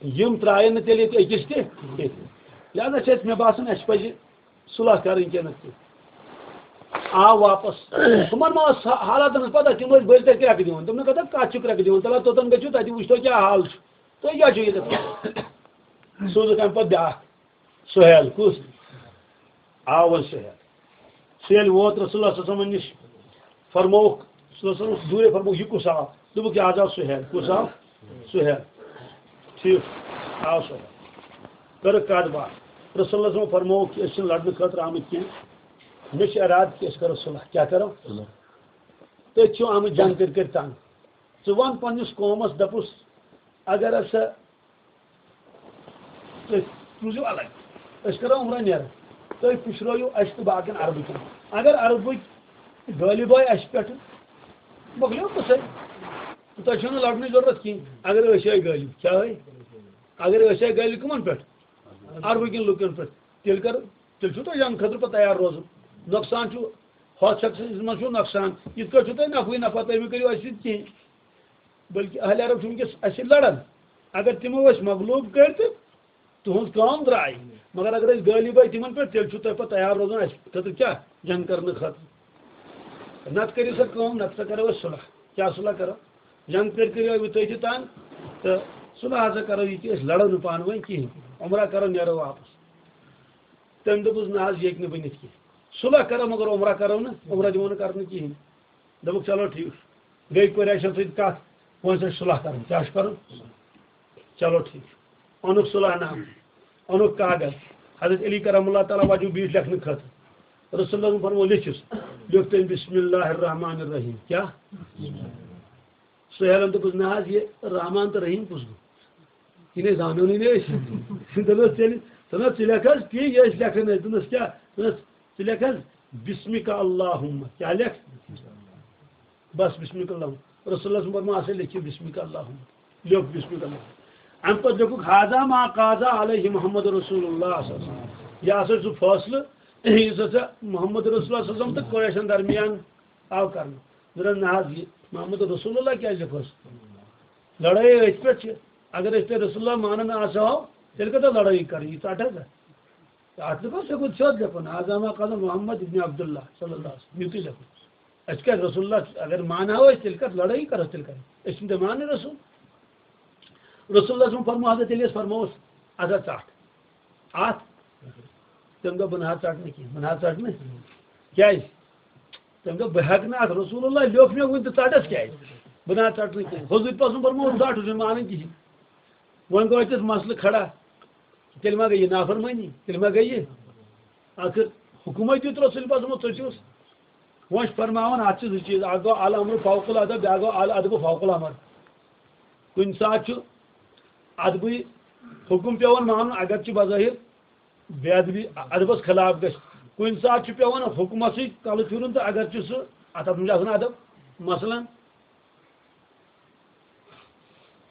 یِم ترٛایَن نہٕ تیٚلہِ ییٚتہِ أکِس تہِ کینٛہہ۔ لہذا چھِ اَسہِ، مےٚ باسان، اَسہِ پَزِ صلح کَرٕنۍ کینٛہہ نَتہٕ کینٛہہ۔ آو واپس۔ تِمَن ما ٲس حالاتَن ہٕنٛز پَتہ؟ تِم ٲسۍ بٔلۍ تَتہِ کرٛٮ۪کہٕ دِوان۔ دوٚپنَکھ، "اَدٕ کَتھ چھُ کرٛٮ۪کہٕ دِوان؟ تَلہ توٚتَن گٔژھِو، تَتہِ وٕچھتو کیٛاہ حال چھُ۔ تُہۍ کیٛاہ چھُو ییٚتٮ۪تھ کران؟" سوٗزُکھ اَمہِ پَتہٕ بیٛاکھ۔ سُہیل کُس؟ آو وۄنۍ سُہیل۔ سُہیل ووت رسول اللہ صلی اللہ علیہ وسلم نِش۔ فرمووُکھ، رسول اللہ صلی اللہ علیہ وسلم دوٗرے فرمووُکھ، "یہِ کُس آو؟" دوٚپُکھ، "یہِ حظ آو سُہیل۔" کُس آو؟ سُہیل۔ ٹھیٖک، آو سُہیل۔ کٔرٕکھ کَتھ باتھ۔ رسول اللہ صلی اللہ علیہ وسلم فرمووُکھ کہِ أسۍ چھِنہٕ لڑنہٕ خٲطرٕ آمٕتۍ کینٛہہ۔ مےٚ چھِ ارادٕ کہِ أسۍ کَرو صلح۔ کیٛاہ کَرو؟ صلح۔ تٔتھۍ چھُ آمُت جنگ کٔرۍ کٔرۍ تنگ۔ ژٕ وَن پنٛنِس قومَس، دَپُس، اگر ہسا تُہۍ روٗزِو الگ۔ أسۍ کرو عمرہ نیرو۔ تُہۍ پُشرٲیِو اَسہِ تہٕ باقین عربہٕ کٮ۪ن۔ اگر عربٕکۍ غٲلِب آے اَسہِ پٮ۪ٹھ، مۄکلیو قصے۔ تۄہہِ چھو نہٕ لڑنٕچ ضروٗرت کِہینۍ۔ اگر أسۍ آے غٲلِب، کیٛاہ آے؟ اگر أسۍ آے غٲلِب کٕمن پٮ۪ٹھ؟ عربہٕ کٮ۪ن لُکن پٮ۪ٹھ۔ تیٚلہِ کر، تیٚلہِ چھُو تۄہہِ جنگ خٲطرٕ پتہٕ تیار روزُن۔ نۄقصان چھُ، ہۄتھ شخصس منٛز چھُو نۄقصان۔ یِتھ کٲٹھۍ چھُو تۄہہِ نفعٕے نفع، تُہۍ مہٕ کٔرِو اَسہِ سۭتۍ کِہینۍ۔ بلکہ اہل عرب چھِ وٕنکیٚس اَسہِ سۭتۍ لڑان۔ اگر تِمو أسۍ مغلوب کٔرۍ تہٕ تُہٕنٛز کٲم درٛاے، مگر اگر أسۍ غٲلب آے تِمن پٮ۪ٹھ، تیٚلہِ چھُو تۄہہِ پتہٕ تیار روزُن اَسہِ خٲطرٕ کیٛاہ؟ جنگ کرنہٕ خٲطرٕ۔ نتہٕ کٔرِو سا کٲم، نتہٕ سا کرو أسۍ صلح۔ کیٛاہ صلح کرو؟ جنگ کٔرۍ کٔرِو وۄنۍ تُہۍ تہِ تنگ، تہٕ صلح ہسا کرو یہِ کہِ أسۍ لڑو نہٕ پانہٕ ؤنۍ کِہینۍ، عمرہ کرو، نیرو واپس۔ تٔمۍ دوٚپُس، "نہ حظ، یہِ ہیٚکہِ نہٕ بٔنِتھ کینٛہہ۔ صلح کرو، مگر عمرہ کرو نہٕ، عمرہ دِمو نہٕ کرنہٕ کِہینۍ۔" دوٚپُکھ، "چلو ٹھیٖک۔" گٔے قریشن سۭتۍ کتھ، وۄنۍ چھِ صلح کرٕنۍ۔ کیٛاہ چھُ کرُن؟ چلو ٹھیٖک چھُ۔ اوٚنُکھ صلح نامہٕ، اوٚنُکھ کاغذ۔ حضرت علی کرم اللہ تعالیٰ وجوہ بیٖٹھۍ لیکھنہٕ خٲطرٕ۔ رسول اللہ فرموو، "لیکھِس۔" لیوٚکھ تٔمۍ، "بسم اللہ الرحمن الرحیم۔" کیٛاہ؟ سہیلن دوٚپُس، "نہ حظ، یہِ رحمان تہٕ رحیم کُس گوٚو؟ یہِ نے زانو نہٕ أسۍ۔" دوٚپنس، "تیٚلہِ، دوٚپنس، ژٕ لیکھ حظ تی، یہِ أسۍ لیکھان ٲسۍ۔" دوٚپنس، "کیٛاہ؟" دوٚپنس، "ژٕ لیکھ حظ، بسمک اللہم۔" کیٛاہ لیکھ؟ بس، بسمک اللہم۔ رسول اللہ صلی اللہ علیہ وسلم فرموو، "ہسا لیکھِو بسمک اللہم۔" لیوٚکھ بسمک اللہم۔ اَمہِ پتہٕ لیوٚکھُکھ، "ہذا ما قاضا علیہ محمد رسول اللہ صلی اللہ علیہ وسلم۔" یہِ ہسا چھُ سُہ فٲصلہٕ یُس ہسا محمد رسول اللہ صلی اللہ علیہ وسلم تہٕ قریشن درمیان آو کرنہٕ۔ دوٚپُن، نہ حظ، یہِ محمد رسول اللہ کیٛازِ لیکھوس؟ لڑٲے أتھۍ پٮ۪ٹھ چھِ۔ اگر أسۍ تۄہہِ رسول اللہ مانان آسہو، تیٚلہِ کَتہِ لڑٲے کَرٕنۍ؟ یہِ ژَٹ حظ۔ اَتھ لیکھوس، یہِ گوٚو سیوٚد لیکھُن، "ھذا ما قال محمد ابن عبداللہ صلی اللہ علیہ وسلم"۔ یُتُے لیکھُن۔ أسۍ کیٛازِ رسول اللہ، اگر مانہو أسۍ، تیٚلہِ کَتھ لڑٲے کَرو، تیٚلہِ کَرو؟ أسۍ چھِنہٕ تہِ مانٕنۍ رسول۔ رسول اللہ صلی اللہ علیہ وسلم فرموو حضرت علیس، فرمووُس، "اَتھ ہا ژَٹ۔" اَتھ۔ تٔمۍ دوٚپ، "بہٕ نہ حظ ژَٹہٕ نہٕ کینٛہہ، بہٕ نہ حظ ژَٹہٕ نہٕ۔" کیٛازِ؟ تٔمۍ دوٚپ، "بہٕ ہٮ۪کہٕ نہٕ اَتھ، رسول اللہ لیوٚکھ مےٚ وُنہِ تہٕ ژَٹَس کیٛازِ؟ بہٕ نہ حظ ژَٹہٕ نہٕ کینٛہہ۔" حضوٗرِ پاک سُنٛد فرمووُن، "ژَٹ، ہُہ چھُنہٕ مانان کِہیٖنۍ۔" وۄنۍ گوٚو اَتٮ۪تھ مسلہٕ کھڑا، تیٚلہِ ما گٔے یہِ نافرمٲنی؟ تیٚلہِ ما گٔے یہِ؟ آخر حکمٕے دیُت رسول پاک صلی اللہ علیہ وسلمو، ژٔٹِوس۔ وۄنۍ چھِ فرماوان، اَتھ چھِ زٕ چیٖز، اَکھ گوٚو الامر فوق الادب، بیٛاکھ گوٚو الادب فوق الامر۔ کُنہِ ساتہٕ چھُ ادبٕے حکم پٮ۪وان مانُن، اگرچہِ بظٲہر بے ادبی، ادبس خلاف گژھِ۔ کُنہِ ساتہٕ چھُ پٮ۪وان حکمسٕے کلہٕ پھِرُن تہٕ اگرچہِ سُہ، اتھ، اتھ منٛز چھُ آسان ادب۔ مثلاً،